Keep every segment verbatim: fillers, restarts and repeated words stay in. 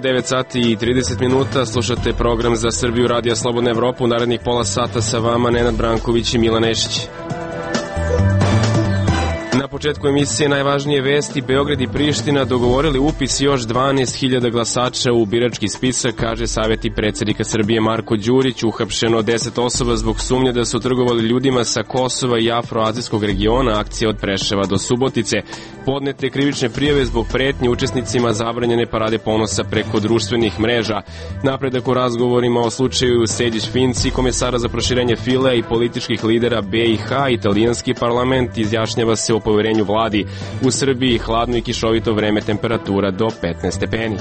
devet sati i trideset minuta, slušate program Za Srbiju Radija Slobodna Evropa. U narednih pola sata sa vama Nenad Branković i Milan Nešić. Na početku emisije najvažnije vesti. Beograd i Priština dogovorili upis još dvanaest hiljada glasača u birački spisak, kaže savjeti predsjednika Srbije Marko Đurić. Uhapšeno deset osoba zbog sumnje da su trgovali ljudima sa Kosova i afroazijskog regiona, akcija od Preševa do Subotice. Podnete krivične prijave zbog pretnje učesnicima zabranjene parade ponosa preko društvenih mreža. Napredak u razgovorima o slučaju Sejdić-Finci, komesara za proširenje Filea i političkih lidera B i H. Italijanski parlament izjašnjava se o poverenju vladi. U Srbiji hladno i kišovito vreme, temperatura do petnaest stepeni.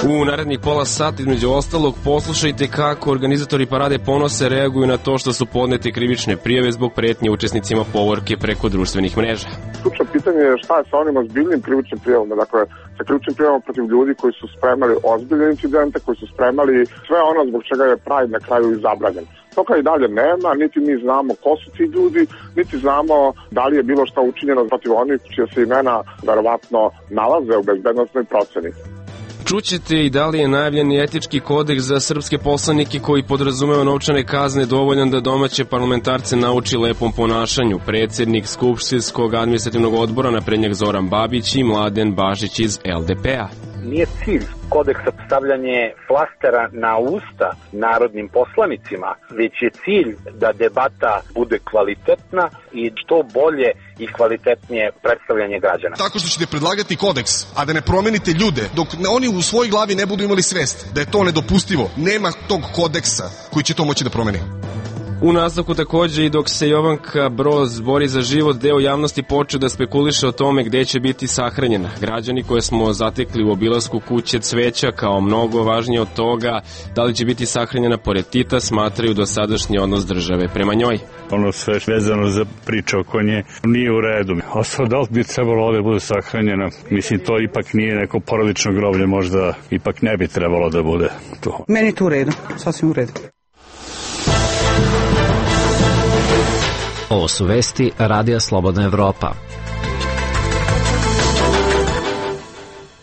U narednih pola sata, između ostalog, poslušajte kako organizatori parade ponosa reaguju na to što su podnete krivične prijave zbog pretnje učesnicima povorke preko društvenih mreža. Ključno pitanje je šta je sa onim ozbiljnim krivičnim prijavama, dakle sa krivičnim prijavama protiv ljudi koji su spremali ozbiljne incidente, koji su spremali sve ono zbog čega je Pride na kraju i zabranjen. Toga i dalje nema, niti mi znamo ko su ti ljudi, niti znamo da li je bilo šta učinjeno protiv onih čija se imena verovatno nalaze u bezbednostnoj proceni. Čućete i da li je najavljeni etički kodeks za srpske poslanike koji podrazumeva novčane kazne dovoljan da domaće parlamentarce nauči lepom ponašanju. Predsjednik Skupštinskog administrativnog odbora naprednjak Zoran Babić i Mladen Bašić iz L D P-a. Nije cilj kodeksa stavljanje flastera na usta narodnim poslanicima, već je cilj da debata bude kvalitetna i što bolje i kvalitetnije predstavljanje građana. Tako što ćete predlagati kodeks, a da ne promenite ljude, dok oni u svojoj glavi ne budu imali svest da je to nedopustivo, nema tog kodeksa koji će to moći da promeni. U nastavku takođe i dok se Jovanka Broz bori za život, deo javnosti počeo da spekuliše o tome gde će biti sahranjena. Građani koje smo zatekli u obilasku kuće cveća kao mnogo važnije od toga da li će biti sahranjena pored Tita, smatraju dosadašnji odnos države prema njoj. Ono sve vezano za priča oko nje nije u redu. Ostalo da li bi trebalo ovde bude sahranjena, mislim to ipak nije neko porodično groblje, možda ipak ne bi trebalo da bude to. Meni je to u redu, sasvim u redu. Ovo su vesti Radija Slobodna Evropa.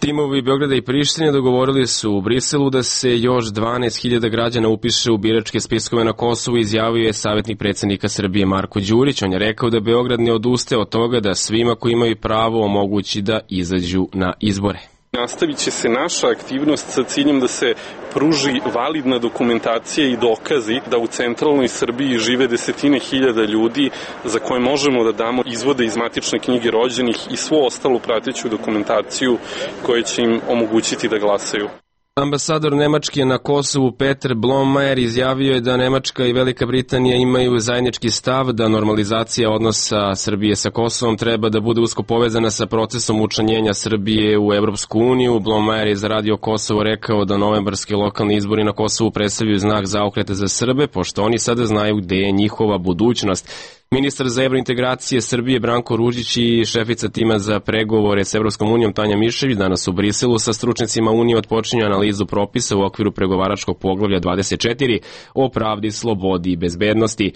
Timovi Beograda i Prištine dogovorili su u Briselu da se još dvanaest hiljada građana upiše u biračke spiskove na Kosovu, izjavio je savjetnik predsjednika Srbije Marko Đurić. On je rekao da Beograd ne odustaje od toga da svima koji imaju pravo omogući da izađu na izbore. Nastavit će se naša aktivnost sa ciljem da se pruži validna dokumentacija i dokazi da u centralnoj Srbiji žive desetine hiljada ljudi za koje možemo da damo izvode iz matične knjige rođenih i svu ostalu prateću dokumentaciju koja će im omogućiti da glasaju. Ambasador Nemačke na Kosovu Peter Blommajer izjavio je da Nemačka i Velika Britanija imaju zajednički stav da normalizacija odnosa Srbije sa Kosovom treba da bude usko povezana sa procesom učlanjenja Srbije u Evropsku uniju. Blommajer je za Radio Kosovo rekao da novembarski lokalni izbori na Kosovu predstavljaju znak zaokreta za Srbe, pošto oni sada znaju gde je njihova budućnost. Ministar za evrointegracije Srbije Branko Ružić i šefica tima za pregovore s Evropskom unijom Tanja Mišević danas u Briselu sa stručnicima Unije otpočinju analizu propisa u okviru pregovaračkog poglavlja dvadeset četiri o pravdi, slobodi i bezbednosti.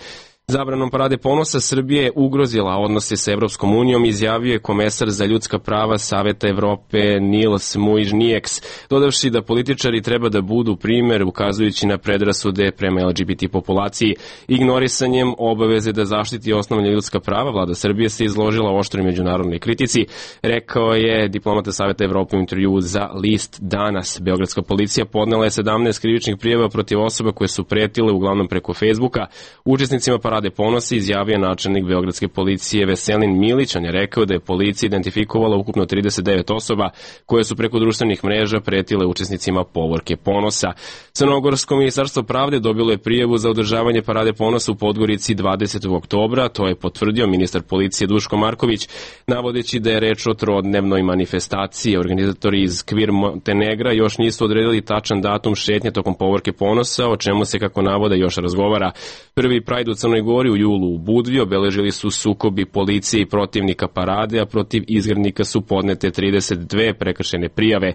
Zabranom parade ponosa Srbije je ugrozila odnose sa Evropskom unijom, izjavio je komesar za ljudska prava Saveta Evrope Nils Muižnieks, dodavši da političari treba da budu primer ukazujući na predrasude prema L G B T populaciji. Ignorisanjem obaveze da zaštiti osnovna ljudska prava, vlada Srbije se izložila oštroj međunarodnoj kritici, rekao je diplomata Saveta Evrope u intervjuu za list Danas. Beogradska policija podnela je sedamnaest krivičnih prijava protiv osoba koje su pretile uglavnom preko Facebooka. Učesnicima parade ponosa izjavio načelnik Beogradske policije Veselin Milić. On je rekao da je policija identifikovala ukupno trideset devet osoba koje su preko društvenih mreža pretile učesnicima povorke ponosa. Crnogorsko ministarstvo pravde dobilo je prijavu za održavanje parade ponosa u Podgorici dvadesetog oktobra, to je potvrdio ministar policije Duško Marković, navodeći da je reč o trodnevnoj manifestaciji. Organizatori iz Kvir Montenegra još nisu odredili tačan datum šetnje tokom povorke ponosa, o čemu se, kako navode, još razgovara. Prvi Pride u Crnoj Gori, u julu u Budvi obeležili su sukobi policije i protivnika parade, a protiv izgrednika su podnete trideset dve prekršajne prijave.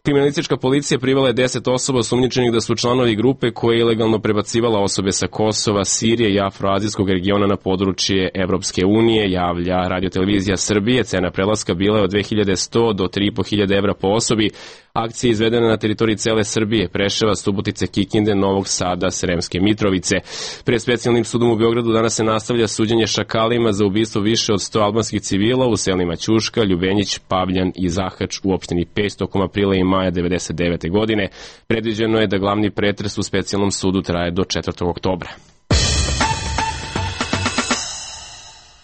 Kriminalistička policija privela je deset osoba osumnjičenih da su članovi grupe koja je ilegalno prebacivala osobe sa Kosova, Sirije i afroazijskog regiona na područje Evropske unije, javlja Radio-televizija Srbije. Cena prelaska bila je od dve hiljade sto do tri i po hiljade evra po osobi. Akcija je izvedena na teritoriji cele Srbije, Preševa, Subotice, Kikinde, Novog Sada, Sremske Mitrovice. Pred specijalnim sudom u Beogradu danas se nastavlja suđenje šakalima za ubistvo više od sto albanskih civila u selima Ćuška, Ljubenić, Pavljan i Zahač u opštini Peć tokom aprila i maja devedeset devete. godine. Predviđeno je da glavni pretres u specijalnom sudu traje do četvrtog oktobra.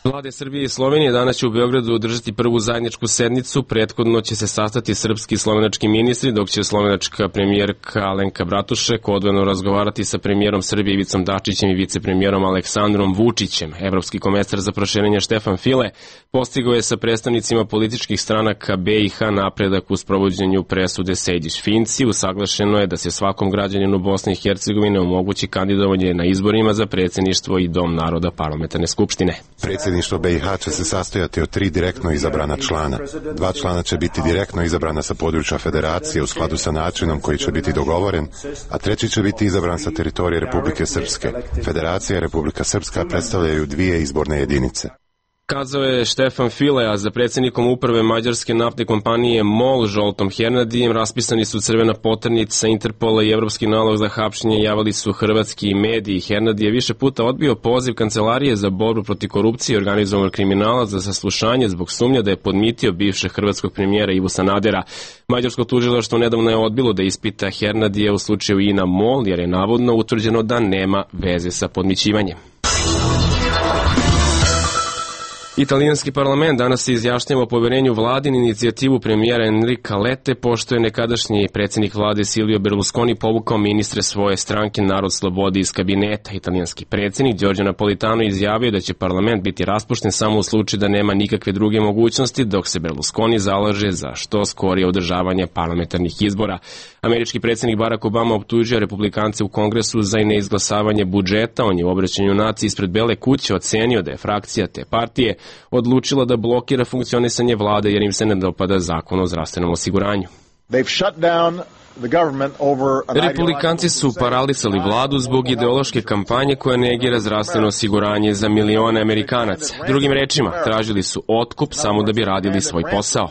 Vlade Srbije i Slovenije danas će u Beogradu održati prvu zajedničku sednicu. Prethodno će se sastati srpski i slovenački ministri, dok će slovenačka premijerka Alenka Bratušek odvojeno razgovarati sa premijerom Srbije Ivicom Dačićem i vicepremijerom Aleksandrom Vučićem. Evropski komesar za proširenje Štefan File postigao je sa predstavnicima političkih stranaka B i H napredak u sprovođenju presude Sejdić-Finci. Usaglašeno je da se svakom građaninu Bosne i Hercegovine omogući kandidovanje na izborima za predsjedništvo i Dom naroda parlamentarne skupštine. Predsjedništvo B i H će se sastojati od tri direktno izabrana člana. Dva člana će biti direktno izabrana sa područja federacije u skladu sa načinom koji će biti dogovoren, a treći će biti izabran sa teritorije Republike Srpske. Federacija i Republika Srpska predstavljaju dvije izborne jedinice. Kazao je Štefan File, a za predsjednikom uprave mađarske naftne kompanije MOL Žoltom Hernadijem raspisani su crvena poternica Interpola i evropski nalog za hapšenje, javili su hrvatski mediji. Hernadi je više puta odbio poziv Kancelarije za borbu protiv korupcije i organizovanog kriminala za saslušanje zbog sumnja da je podmitio bivšeg hrvatskog premijera Ivu Sanadera. Mađarsko tužilaštvo nedavno je odbilo da ispita Hernadija u slučaju I N A MOL, jer je navodno utvrđeno da nema veze sa podmićivanjem. Italijanski parlament danas se izjašnjava o poverenju vladi na inicijativu premijera Enrika Lette, pošto je nekadašnji predsjednik vlade Silvio Berlusconi povukao ministre svoje stranke Narod slobode iz kabineta. Italijanski predsjednik Giorgio Napolitano izjavio da će parlament biti raspušten samo u slučaju da nema nikakve druge mogućnosti, dok se Berlusconi zalaže za što skorije održavanje parlamentarnih izbora. Američki predsjednik Barack Obama optužio republikance u Kongresu za neizglasavanje budžeta. On je u obraćanju naciji ispred Bele kuće ocenio da je frakcija te partije odlučila da blokira funkcionisanje vlade jer im se ne dopada zakon o zdravstvenom osiguranju. Republikanci su paralisali vladu zbog ideološke kampanje koja negira zdravstveno osiguranje za milione Amerikanaca. Drugim rečima, tražili su otkup samo da bi radili svoj posao.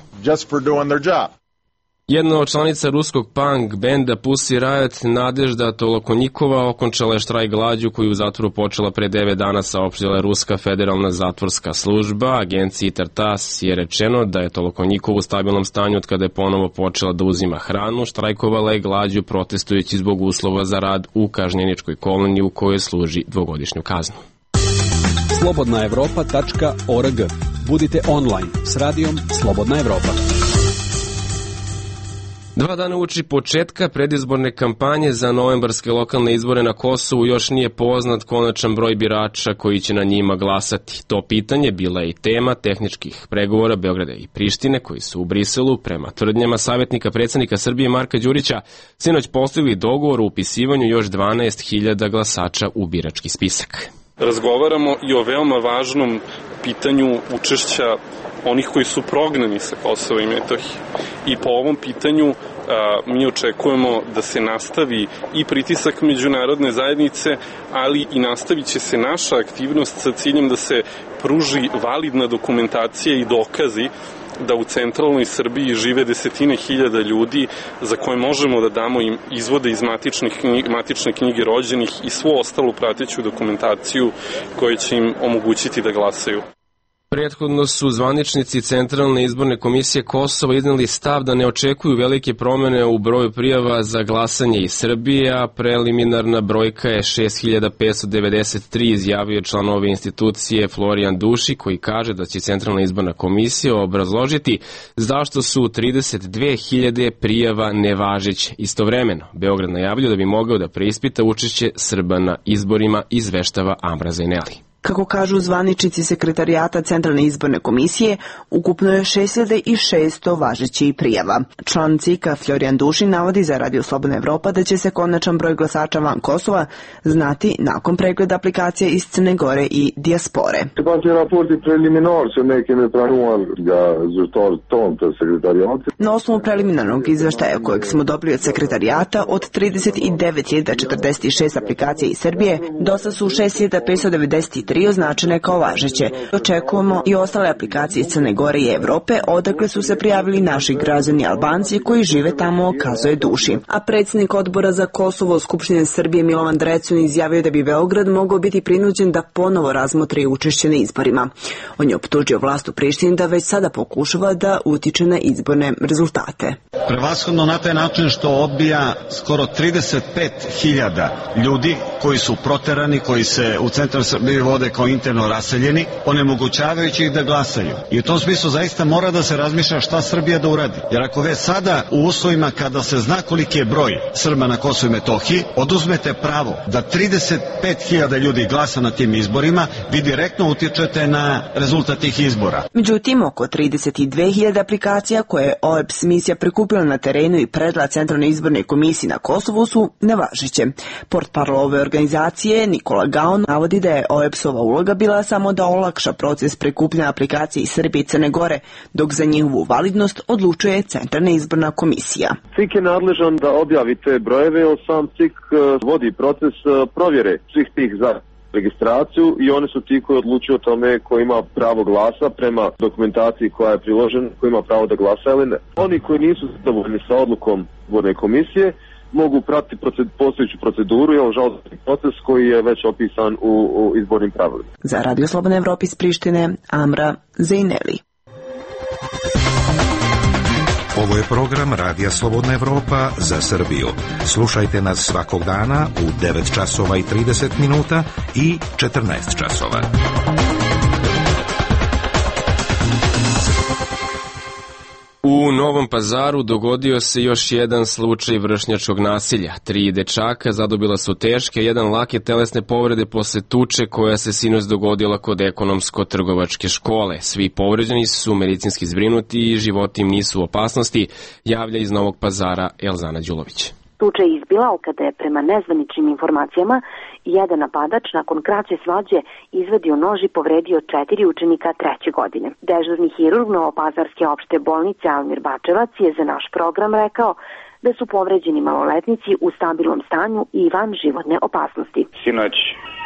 Jedna od članica ruskog punk benda Pussy Riot, Nadežda Tolokonjikova, okončala je štrajk glađu koju u zatvoru počela pre devet dana, saopštila Ruska federalna zatvorska služba. Agenciji Tartas je rečeno da je Tolokonjikova u stabilnom stanju od kada je ponovo počela da uzima hranu. Štrajkovala je glađu protestujući zbog uslova za rad u kažnjeničkoj koloniji u kojoj služi dvogodišnju kaznu. slobodna evropa tačka org. Budite online s radijom Slobodna Evropa. Dva dana uoči početka predizborne kampanje za novembarske lokalne izbore na Kosovu još nije poznat konačan broj birača koji će na njima glasati. To pitanje bila je i tema tehničkih pregovora Beograda i Prištine koji su u Briselu prema tvrdnjama savjetnika predsjednika Srbije Marka Đurića sinoć postigli dogovor o upisivanju još dvanaest hiljada glasača u birački spisak. Razgovaramo i o veoma važnom pitanju učešća onih koji su prognani sa Kosova i Metohije. I po ovom pitanju a, mi očekujemo da se nastavi i pritisak međunarodne zajednice, ali i nastavit će se naša aktivnost sa ciljem da se pruži validna dokumentacija i dokazi da u centralnoj Srbiji žive desetine hiljada ljudi za koje možemo da damo im izvode iz matičnih knjige, matične knjige rođenih i svu ostalu prateću dokumentaciju koja će im omogućiti da glasaju. Prethodno su zvaničnici Centralne izborne komisije Kosova izneli stav da ne očekuju velike promene u broju prijava za glasanje iz Srbije, a preliminarna brojka je šest hiljada petsto devedeset tri, izjavio član ove institucije Florijan Duši, koji kaže da će Centralna izborna komisija obrazložiti zašto su trideset dve hiljade prijava nevažeće. Istovremeno, Beograd najavljuje da bi mogao da preispita učešće Srba na izborima, izveštava Amra Zaineli. Kako kažu zvaničnici sekretarijata Centralne izborne komisije, ukupno je šest hiljada šesto važećih prijava. Član C I K-a Florijan Dušin navodi za Radio Slobodna Evropa da će se konačan broj glasača van Kosova znati nakon pregleda aplikacije iz Crne Gore i dijaspore. Na osnovu preliminarnog izveštaja kojeg smo dobili od sekretarijata, od trideset devet hiljada četrdeset šest aplikacija iz Srbije, dosta su šest hiljada petsto devedeset tri označene kao važeće. Očekujemo i ostale aplikacije iz Crne Gore i Evrope, odakle su se prijavili naši građani Albanci koji žive tamo, kazuje Dušin. A predsjednik odbora za Kosovo Skupštine Srbije Milovan Drecun izjavio da bi Beograd mogao biti prinuđen da ponovo razmotri učešće na izborima. On je optužio vlast u Prištini da već sada pokušava da utiče na izborne rezultate. Prevashodno na taj način što odbija skoro trideset pet hiljada ljudi koji su proterani, koji se u centru Srbije vode kao interno raseljeni, onemogućavajući ih da glasaju. I u tom smislu zaista mora da se razmišlja šta Srbija da uradi. Jer ako već sada u uslovima kada se zna koliki je broj Srba na Kosovu i Metohiji, oduzmete pravo da trideset pet hiljada ljudi glasa na tim izborima, vi direktno utičete na rezultat tih izbora. Međutim, oko trideset dve hiljade aplikacija koje je O E B S misija prikupila na terenu i predala Centralnoj izbornoj komisiji na Kosovu su nevažeće. Portparol ove organizacije Nikola Gaon navodi da je O E B S-ova uloga bila samo da olakša proces prikupljanja aplikacije iz Srbije i Crne Gore, dok za njihovu validnost odlučuje Centralna izborna komisija. C I K je nadležan da objavi te brojeve, jer sam C I K vodi proces provjere svih tih za registraciju i oni su ti koji odlučuju o tome ko ima pravo glasa prema dokumentaciji koja je priložena, ko ima pravo da glasa ili ne. Oni koji nisu zadovoljni sa odlukom izborne komisije mogu pratiti proced, postojeću proceduru i žalbeni proces koji je već opisan u, u izbornim pravilima. Za Radio Slobodna Evropa iz Prištine, Amra Zejneli. Ovo je program Radija Slobodna Evropa za Srbiju. Slušajte nas svakog dana u devet časova i trideset minuta i četrnaest časova. U Novom Pazaru dogodio se još jedan slučaj vršnjačkog nasilja. Tri dečaka zadobila su teške, jedan lake telesne povrede posle tuče koja se sinoć dogodila kod ekonomsko-trgovačke škole. Svi povređeni su medicinski zbrinuti i životi im nisu u opasnosti, javlja iz Novog Pazara Elzana Đulović. Tuča je izbila kada je prema nezvaničnim informacijama jedan napadač nakon kraće svađe izvadio nož i povredio četiri učenika treće godine. Dežurni hirurg Novopazarske opšte bolnice Almir Bačevac je za naš program rekao da su povređeni maloletnici u stabilnom stanju i van životne opasnosti. Sinoć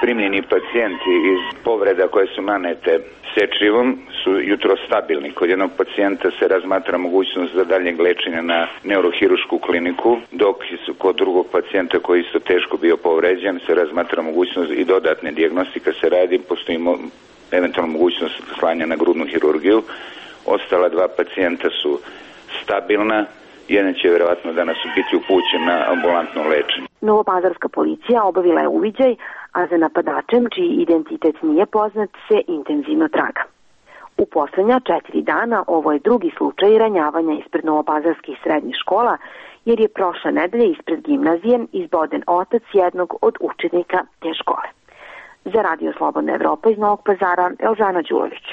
primljeni pacijenti iz povreda koje su nanete sečivom su jutro stabilni. Kod jednog pacijenta se razmatra mogućnost za daljnjeg lečenja na neurohirušku kliniku, dok kod drugog pacijenta koji isto teško bio povređen se razmatra mogućnost i dodatne dijagnostike se radi, postoji mo- eventualno mogućnost slanja na grudnu hirurgiju. Ostala dva pacijenta su stabilna. Jedan će vjerovatno danas biti upućen na ambulantno lečenje. Novopazarska policija obavila je uviđaj, a za napadačem, čiji identitet nije poznat, se intenzivno traga. U poslednja četiri dana ovo je drugi slučaj ranjavanja ispred novopazarskih srednjih škola, jer je prošle nedelje ispred gimnazije izboden otac jednog od učenika te škole. Za Radio Slobodna Evropa iz Novog Pazara, Elžana Đulović.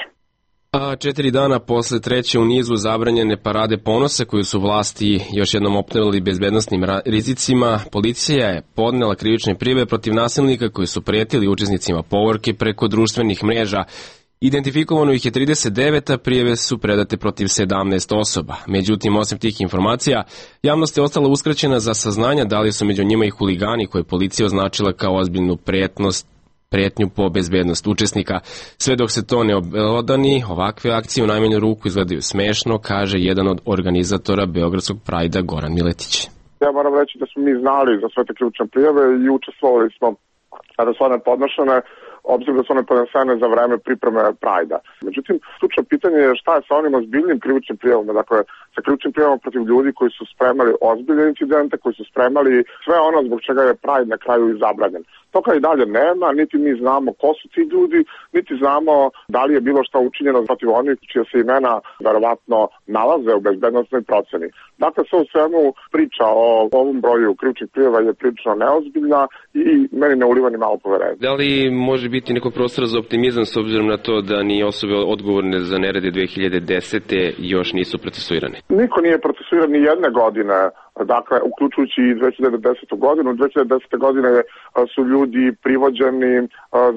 A četiri dana posle treće u nizu zabranjene parade ponosa koju su vlasti još jednom optužili bezbednosnim rizicima, policija je podnela krivične prijave protiv nasilnika koji su pretili učesnicima povorke preko društvenih mreža. Identifikovano ih je trideset devet, a prijave su predate protiv sedamnaest osoba. Međutim, osim tih informacija, javnost je ostala uskraćena za saznanja da li su među njima i huligani koje policija označila kao ozbiljnu pretnost pretnju po bezbednost učesnika. Sve dok se to ne obelodani, ovakve akcije u najmanju ruku izgledaju smešno, kaže jedan od organizatora Beogradskog Prajda Goran Miletić. Ja moram reći da smo mi znali za sve te ključne prijave i učestvovali smo kada su one podnošene, obzirom da su one podnesene za vreme pripreme Prajda. Međutim, ključno pitanje je šta je sa onim ozbiljnim krivičnim prijavama, dakle sa krivičnim prijavama protiv ljudi koji su spremali ozbiljne incidente, koji su spremali sve ono zbog čega je Pride na kraju i zabranjen. Toga i dalje nema, niti mi znamo ko su ti ljudi, niti znamo da li je bilo šta učinjeno protiv onih čija se imena verovatno nalaze u bezbednostnoj proceni. Dakle, sve u svemu priča o ovom broju krivičnih prijava je prilično neozbiljna i meni ne uliva ni malo poverenja. Da li može može biti nekog prostora za optimizam s obzirom na to da ni osobe odgovorne za nerede dve hiljade desete još nisu procesuirane? Niko nije procesuiran ni jedne godine, dakle, uključujući i dve hiljade desetu godinu. dve hiljade desete godine su ljudi privođeni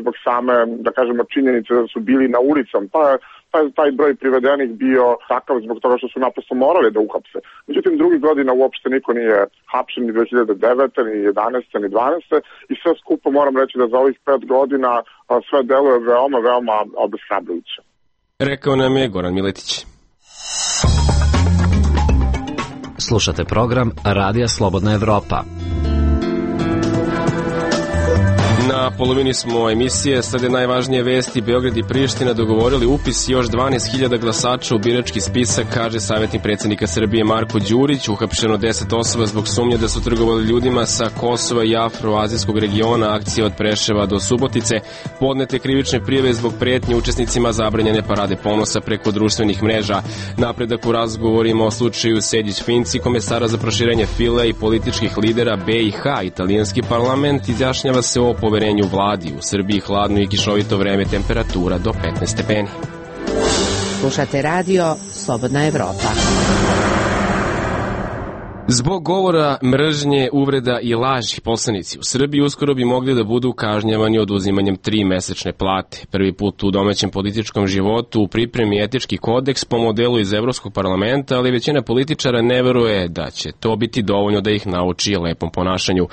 zbog same, da kažemo, činjenice da su bili na ulicom, pa je taj, taj broj privedenih bio takav zbog toga što su naprosto morali da uhapse. Međutim, drugih godina uopšte niko nije hapšen ni dve hiljade devete, ni jedanaeste, ni dvanaeste i sve skupo moram reći da za ovih pet godina sve deluje veoma, veoma obeshrabrujuće. Rekao nam je Goran Miletić. Slušate program Radija Slobodna Evropa. Na polovini smo emisije, sada je najvažnije vesti. Beograd i Priština dogovorili upis još dvanaest hiljada glasača u birački spisak, kaže savjetnik predsjednika Srbije Marko Đurić. Uhapšeno deset osoba zbog sumnje da su trgovali ljudima sa Kosova i afroazijskog regiona, akcija od Preševa do Subotice. Podnete krivične prijave zbog pretnje učesnicima zabranjene parade ponosa preko društvenih mreža. Napredak u razgovorima o slučaju Sejdić-Finci, komesara za proširenje File i političkih lidera B i H. Italijanski parlament izjašnjava se o poverenju vladi. U Srbiji hladno i kišovito vreme, temperatura do petnaest stepeni. Slušate radio Slobodna Evropa. Zbog govora, mržnje, uvreda i laži, poslanici u Srbiji uskoro bi mogli da budu kažnjavani oduzimanjem tri mesečne plate. Prvi put u domaćem političkom životu u pripremi etički kodeks po modelu iz Evropskog parlamenta, ali većina političara ne veruje da će to biti dovoljno da ih nauči lepom ponašanju.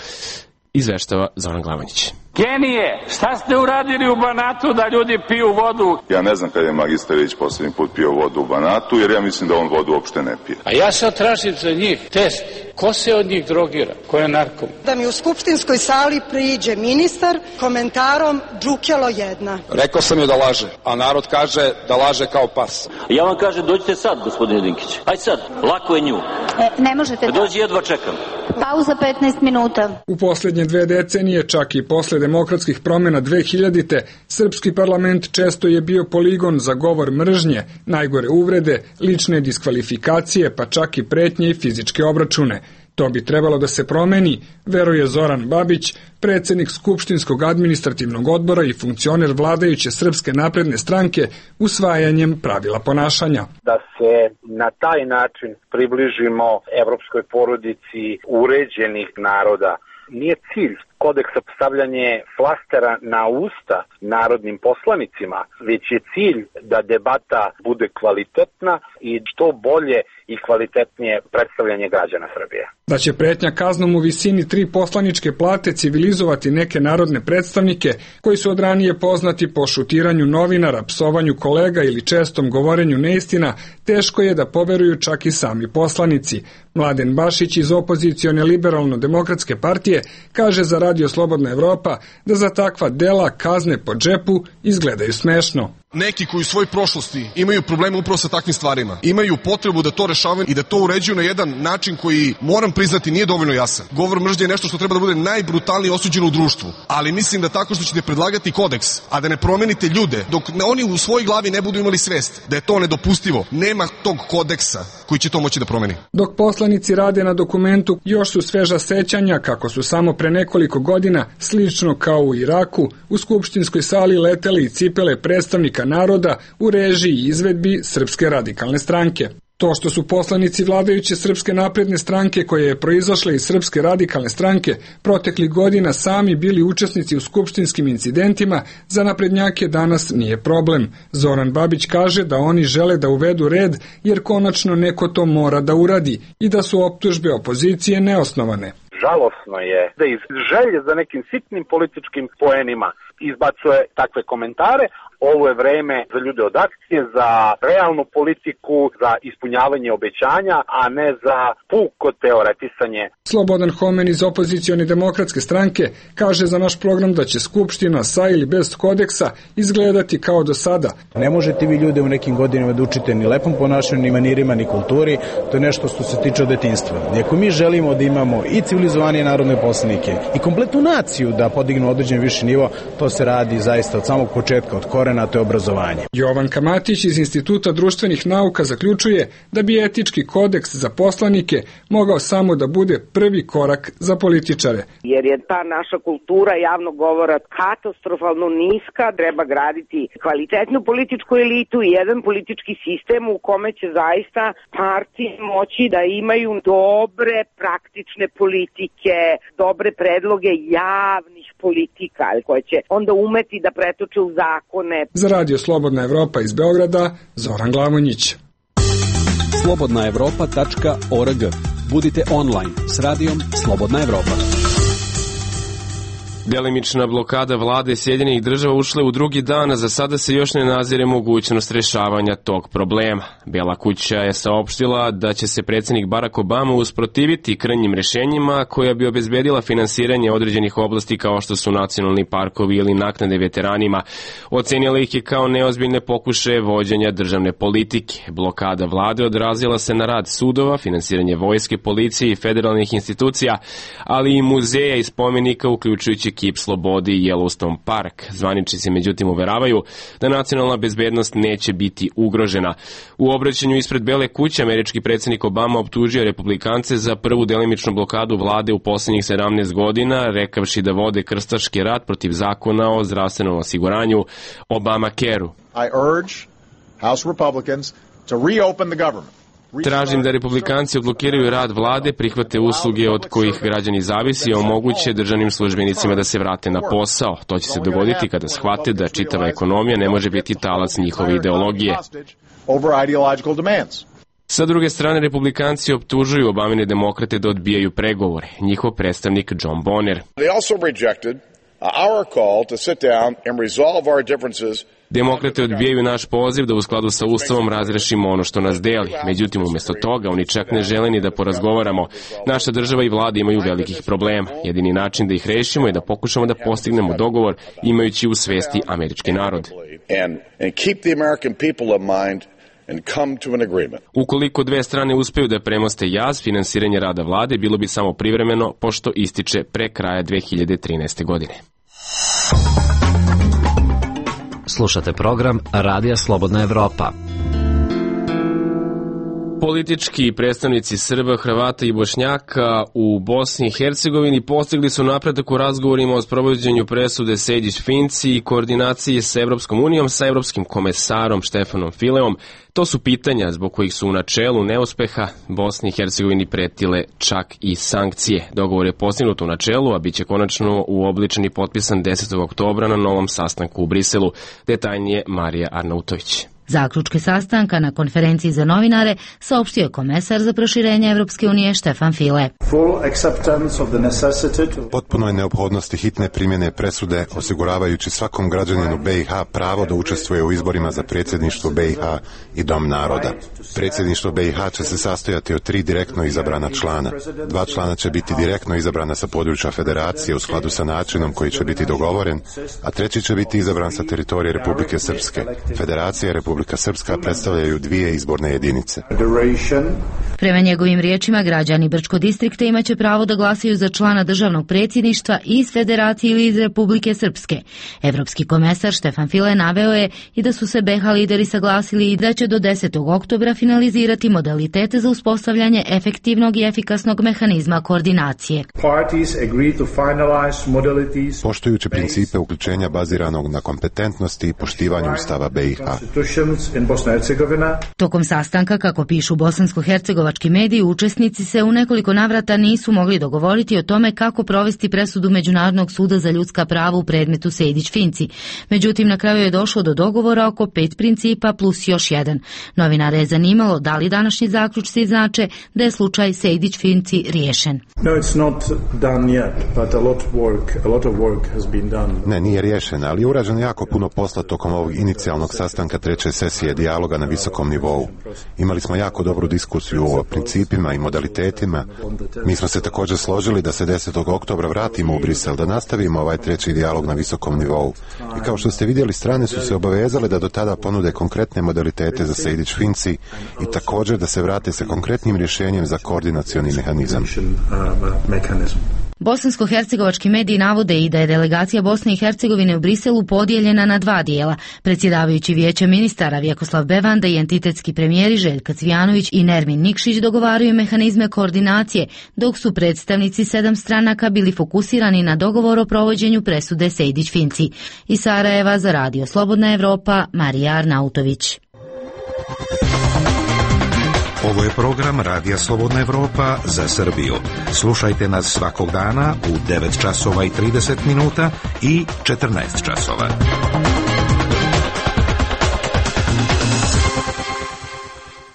Izveštava Zoran Glavanić. Genije, šta ste uradili u Banatu da ljudi piju vodu? Ja ne znam kad je magistar Ilić poslednji put pio vodu u Banatu, jer ja mislim da on vodu uopšte ne pije. A ja sad tražim za njih test. Ko se od njih drogira? Ko je narkom? Da mi u skupštinskoj sali priđe ministar komentarom džukelo jedna. Rekao sam joj da laže, a narod kaže da laže kao pas. Ja vam kažem, dođite sad, gospodine Dinkić. Ajde sad, lako je nju. E, ne možete. Dođi, jedva čekam. Pauza petnaest minuta. U poslednje dve decenije, čak i posle demokratskih promjena dve hiljadite, srpski parlament često je bio poligon za govor mržnje, najgore uvrede, lične diskvalifikacije, pa čak i pretnje i fizičke obračune. To bi trebalo da se promeni, veruje Zoran Babić, predsjednik Skupštinskog administrativnog odbora i funkcioner vladajuće Srpske napredne stranke, usvajanjem pravila ponašanja. Da se na taj način približimo evropskoj porodici uređenih naroda. Nije cilj kodeksa stavljanje flastera na usta narodnim poslanicima, već je cilj da debata bude kvalitetna i što bolje i kvalitetnije predstavljanje građana Srbije. Da će pretnja kaznom u visini tri poslaničke plate civilizovati neke narodne predstavnike koji su od ranije poznati po šutiranju novinara, psovanju kolega ili čestom govorenju neistina, teško je da poveruju čak i sami poslanici. Mladen Bašić iz opozicione liberalno-demokratske partije kaže za Radio Slobodna Evropa da za takva dela kazne po džepu izgledaju smešno. Neki koji u svojoj prošlosti imaju probleme upravo sa takvim stvarima, imaju potrebu da to rešavaju i da to uređuju na jedan način koji, moram priznati, nije dovoljno jasan. Govor mržnje je nešto što treba da bude najbrutalnije osuđeno u društvu, ali mislim da tako što ćete predlagati kodeks, a da ne promenite ljude, dok oni u svojoj glavi ne budu imali svest da je to nedopustivo, nema tog kodeksa koji će to moći da promeni. Dok poslanici rade na dokumentu, još su sveža sećanja kako su samo pre nekoliko godina, slično kao u Iraku, u skupštinskoj sali letele i cipele predstavnika naroda u režiji i izvedbi Srpske radikalne stranke. To što su poslanici vladajuće Srpske napredne stranke, koje je proizašle iz Srpske radikalne stranke, proteklih godina sami bili učesnici u skupštinskim incidentima, za naprednjake danas nije problem. Zoran Babić kaže da oni žele da uvedu red, jer konačno neko to mora da uradi i da su optužbe opozicije neosnovane. Žalosno je da iz želje za nekim sitnim političkim poenima izbacuje takve komentare. Ovo je vreme za ljude od akcije, za realnu politiku, za ispunjavanje obećanja, a ne za puko teoretisanje. Slobodan Homen iz opozicione demokratske stranke kaže za naš program da će Skupština sa ili bez kodeksa izgledati kao do sada. Ne možete vi ljude u nekim godinama da učite ni lepom ponašanju, ni manirima, ni kulturi. To je nešto što se tiče od detinjstva. I ako mi želimo da imamo i civilizovanije narodne poslanike i kompletnu naciju da podignu određen viši nivo, to to se radi zaista od samog početka, od korena, to je obrazovanje. Jovan Matić iz Instituta društvenih nauka zaključuje da bi etički kodeks za poslanike mogao samo da bude prvi korak za političare. Jer je ta naša kultura javnog govora katastrofalno niska, treba graditi kvalitetnu političku elitu i jedan politički sistem u kome će zaista partije moći da imaju dobre praktične politike, dobre predloge javnih politika koje će onda umeti da pretoče u zakone. Za Radio Slobodna Evropa iz Beograda, Zoran Glavonjić. slobodna evropa tačka org. Budite online s radijom Slobodna Evropa. Delimična blokada vlade Sjedinjenih država ušla u drugi dan, a za sada se još ne nazire mogućnost rešavanja tog problema. Bela kuća je saopštila da će se predsjednik Barack Obama usprotiviti krajnjim rešenjima koja bi obezbedila finansiranje određenih oblasti kao što su nacionalni parkovi ili naknade veteranima. Ocenila ih je kao neozbiljne pokušaje vođenja državne politike. Blokada vlade odrazila se na rad sudova, finansiranje vojske, policije i federalnih institucija, ali i muzeja i spomenika uključujući Kip slobode i Yellowstone Park. Zvaničnici međutim uveravaju da nacionalna bezbednost neće biti ugrožena. U obraćanju ispred Bele kuće američki predsjednik Obama optužio republikance za prvu delimičnu blokadu vlade u posljednjih sedamnaest godina, rekavši da vode krstaški rat protiv zakona o zdravstvenom osiguranju Obamacare-u. I urge House Republicans to reopen the government. Tražim da republikanci odblokiraju rad vlade, prihvate usluge od kojih građani zavisi i omoguće državnim službenicima da se vrate na posao. To će se dogoditi kada shvate da čitava ekonomija ne može biti talac njihove ideologije. Sa druge strane, republikanci optužuju Obamine demokrate da odbijaju pregovore. Njihov predstavnik John Bonner. Demokrate odbijaju naš poziv da u skladu sa Ustavom razrešimo ono što nas deli. Međutim, umjesto toga, oni čak ne žele ni da porazgovaramo. Naša država i vlada imaju velikih problema. Jedini način da ih rešimo je da pokušamo da postignemo dogovor imajući u svesti američki narod. Ukoliko dve strane uspeju da premoste jaz, finansiranje rada vlade bilo bi samo privremeno, pošto ističe pre kraja dve hiljade trinaeste. godine. Slušate program Radija Slobodna Evropa. Politički predstavnici Srba, Hrvata i Bošnjaka u Bosni i Hercegovini postigli su napredak u razgovorima o sprovođenju presude Sejdić-Finci i koordinaciji sa Evropskom unijom sa evropskim komesarom Štefanom Fileom. To su pitanja zbog kojih su u načelu neuspeha Bosni i Hercegovini pretile čak i sankcije. Dogovor je postignut u načelu, a bit će konačno uobličen i potpisan desetog oktobra na novom sastanku u Briselu. Detaljnije Marija Arnautović. Zaključke sastanka na konferenciji za novinare saopštio je komesar za proširenje Evropske unije Štefan File. Potpuno je neophodnosti hitne primjene presude osiguravajući svakom građaninu B i H pravo da učestvuje u izborima za predsjedništvo B i H i Dom naroda. Predsjedništvo B i H će se sastojati od tri direktno izabrana člana. Dva člana će biti direktno izabrana sa područja federacije u skladu sa načinom koji će biti dogovoren, a treći će biti izabran sa teritorije Republike Srpske. Federacija i Republika Srpska predstavljaju dvije izborne jedinice. Prema njegovim riječima, građani Brčko distrikta imaće pravo da glasaju za člana državnog predsjedništva iz Federacije ili iz Republike Srpske. Evropski komesar Štefan File naveo je i da su se B i H lideri saglasili i da će do desetog oktobra finalizirati modalitete za uspostavljanje efektivnog i efikasnog mehanizma koordinacije. Poštujući principe uključenja baziranog na kompetentnosti i poštivanju Ustava B i H. Tokom sastanka, kako pišu bosansko-hercegovački mediji, učesnici se u nekoliko navrata nisu mogli dogovoriti o tome kako provesti presudu Međunarodnog suda za ljudska prava u predmetu Sejdić-Finci. Međutim, na kraju je došlo do dogovora oko pet principa plus još jedan. Novinare je zanimalo da li današnji zaključci znače da je slučaj Sejdić-Finci riješen. Ne, nije riješen, ali je urađeno jako puno posla tokom ovog inicijalnog sastanka treće sesije dijaloga na visokom nivou. Imali smo jako dobru diskusiju o principima i modalitetima. Mi smo se također složili da se desetog oktobra vratimo u Brisel, da nastavimo ovaj treći dijalog na visokom nivou. I kao što ste vidjeli, strane su se obavezale da do tada ponude konkretne modalitete za Sejdić-Finci i također da se vrate sa konkretnim rješenjem za koordinacioni mehanizam. Bosansko-hercegovački mediji navode i da je delegacija Bosne i Hercegovine u Briselu podijeljena na dva dijela. Predsjedavajući Vijeća ministara Vjekoslav Bevanda i entitetski premijeri Željka Cvijanović i Nermin Nikšić dogovaraju mehanizme koordinacije, dok su predstavnici sedam stranaka bili fokusirani na dogovor o provođenju presude Sejdić-Finci. Iz Sarajeva za Radio Slobodna Evropa, Marija Arnautović. Ovo je program Radija Slobodna Evropa za Srbiju. Slušajte nas svakog dana u devet časova i trideset minuta i četrnaest časova.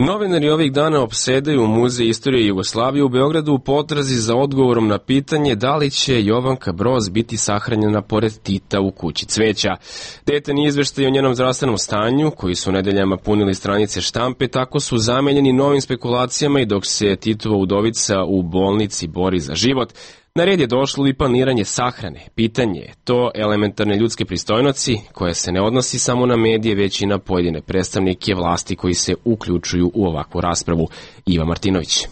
Novinari ovih dana opsedaju Muzej istorije Jugoslavije u Beogradu u potrazi za odgovorom na pitanje da li će Jovanka Broz biti sahranjena pored Tita u kući cveća. Detaljni izveštaj o njenom zdravstvenom stanju, koji su nedeljama punili stranice štampe, tako su zamenjeni novim spekulacijama i dok se Titova udovica u bolnici bori za život, na red je došlo i planiranje sahrane. Pitanje je to elementarne ljudske pristojnosti koje se ne odnosi samo na medije, već i na pojedine predstavnike vlasti koji se uključuju u ovakvu raspravu. Iva Martinović.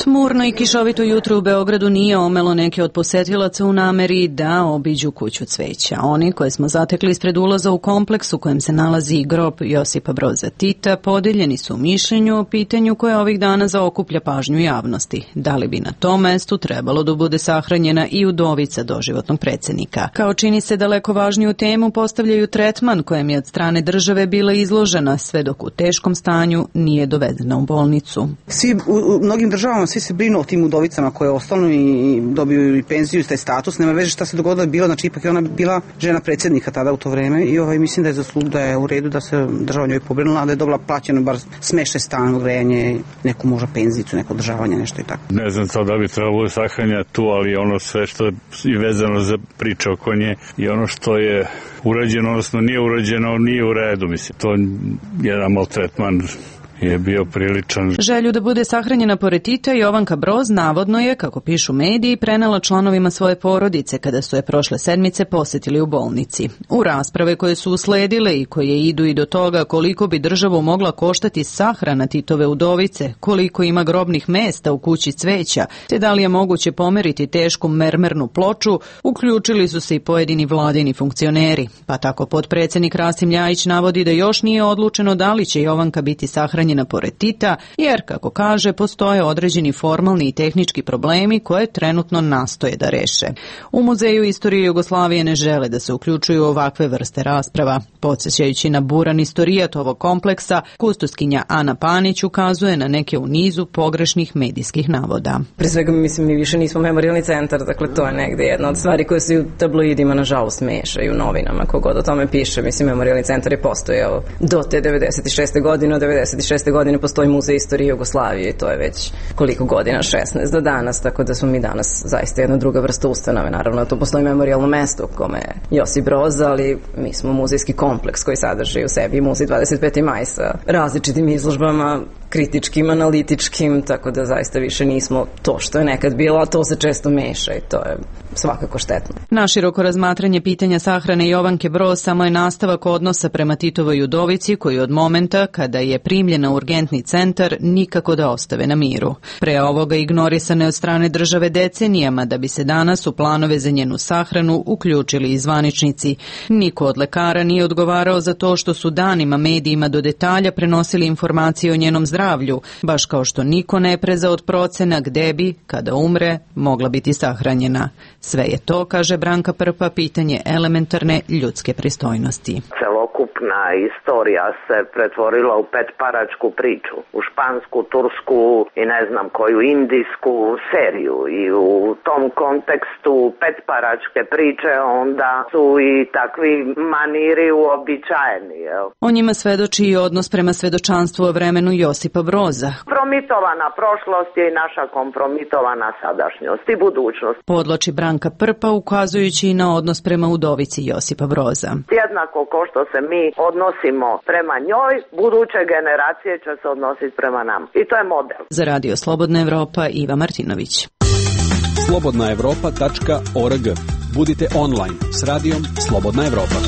Tmurno i kišovito jutro u Beogradu nije omelo neke od posetilaca u nameri da obiđu kuću cveća. Oni koje smo zatekli ispred ulaza u kompleks u kojem se nalazi grob Josipa Broza Tita podeljeni su u mišljenju o pitanju koje ovih dana zaokuplja pažnju javnosti. Da li bi na tom mestu trebalo da bude sahranjena i udovica doživotnog predsjednika? Kao čini se daleko važniju temu postavljaju tretman kojem je od strane države bila izložena, sve dok u teškom stanju nije dovedena u bolnicu. Svi u, u mnogim državama svi se brinu o tim udovicama koje ostanu i dobiju i penziju i taj status. Nema veze šta se dogodilo je bilo, znači ipak je ona bila žena predsjednika tada u to vreme i ovaj, mislim da je zaslug da je u redu da se država njoj pobrinula, da je dobila plaćeno bar smeštaj stan, grejanje, neku možda penzicu, neko održavanje, nešto i tako. Ne znam sad da bi trebalo sahranja tu, ali ono sve što je vezano za priče oko nje i ono što je urađeno, odnosno nije urađeno, nije u redu, mislim. To je jedan maltretman je bio priličan. Želju da bude sahranjena pored Tita Jovanka Broz navodno je, kako pišu mediji, prenela članovima svoje porodice kada su je prošle sedmice posjetili u bolnici. U rasprave koje su usledile i koje idu i do toga koliko bi državu mogla koštati sahrana Titove udovice, koliko ima grobnih mesta u kući cveća, te da li je moguće pomeriti tešku mermernu ploču, uključili su se i pojedini vladini funkcioneri. Pa tako potpredsjednik Rasim Ljajić navodi da još nije odlučeno da li će Jovanka biti sahranjena pored Tita, jer, kako kaže, postoje određeni formalni i tehnički problemi koje trenutno nastoje da reše. U Muzeju istorije Jugoslavije ne žele da se uključuju ovakve vrste rasprava. Podsjećajući na buran istorijat ovog kompleksa, kustoskinja Ana Panić ukazuje na neke u nizu pogrešnih medijskih navoda. Pre svega, mislim, mi više nismo memorijalni centar, dakle to je negde jedna od stvari koje se u tabloidima nažalost meša i u novinama, kogod o tome piše. Mislim, memorijalni centar je postojao do te devedeset šeste godine, od devedeset šeste godine postoji Muzej istorije Jugoslavije i to je već koliko godina, šesnaest do danas, tako da smo mi danas zaista jedna druga vrsta ustanove. Naravno, tu postoji memorijalno mesto u kome je Josip Broz, ali mi smo muzejski kompleks koji sadrži u sebi Muzej dvadeset peti maj sa različitim izložbama, kritičkim, analitičkim, tako da zaista više nismo to što je nekad bilo, a to se često meša i to je svakako štetno. Naširoko razmatranje pitanja sahrane Jovanke Broz samo je nastavak odnosa prema Titovoj udovici koji od momenta kada je primljena u urgentni centar nikako da ostave na miru. Pre ovoga ignorisane od strane države decenijama da bi se danas u planove za njenu sahranu uključili i zvaničnici. Niko od lekara nije odgovarao za to što su danima medijima do detalja prenosili informacije o njenom zdravlju, baš kao što niko ne preza od procena gde bi, kada umre, mogla biti sahranjena. Sve je to, kaže Branka Prpa, pitanje elementarne ljudske pristojnosti. Celokupna istorija se pretvorila u petparačku priču, u špansku, tursku i ne znam koju indijsku seriju i u tom kontekstu petparačke priče onda su i takvi maniri uobičajeni. Jel? O njima svedoči i odnos prema svedočanstvu o vremenu Josipa Broza. Kompromitovana prošlost je i naša kompromitovana sadašnjost i budućnost. Podloči Branka Prpa ukazujući i na odnos prema udovici Josipa Broza. Jednako ko što se mi odnosimo prema njoj, buduće generacije će se odnositi prema nam. I to je model. Za Radio Slobodna Evropa, Iva Martinović. slobodna evropa tačka org. Budite online s radijom Slobodna Evropa.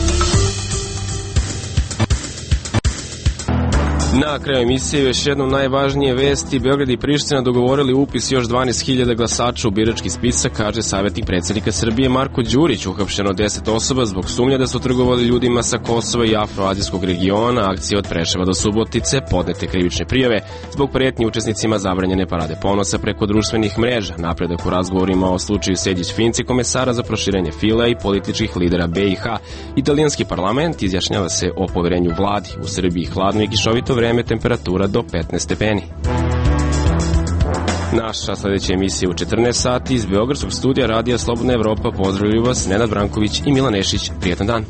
Na kraju emisije još jednom najvažnije vesti. Beograd i Priština dogovorili upis još dvanaest hiljada glasača u birački spisak, kaže savjetnik predsjednika Srbije Marko Đurić. Uhapšeno deset osoba zbog sumnja da su trgovali ljudima sa Kosova i afroazijskog regiona. Akcije od Preševa do Subotice, podnete krivične prijave zbog pretnji učesnicima zabranjene parade ponosa preko društvenih mreža. Napredak u razgovorima o slučaju Sejdić-Finci, komesara za proširenje fila i političkih lidera B i H. Italijanski parlament izjašnjava se o poverenju vladi. U Srbiji hladno i kišovito vreme, temperatura do petnaest stepeni. Naša sljedeća emisija u četrnaest sati iz Beogradskog studija Radija Slobodna Evropa. Pozdravljaju vas Nenad Branković i Milan Nešić. Prijetan dan.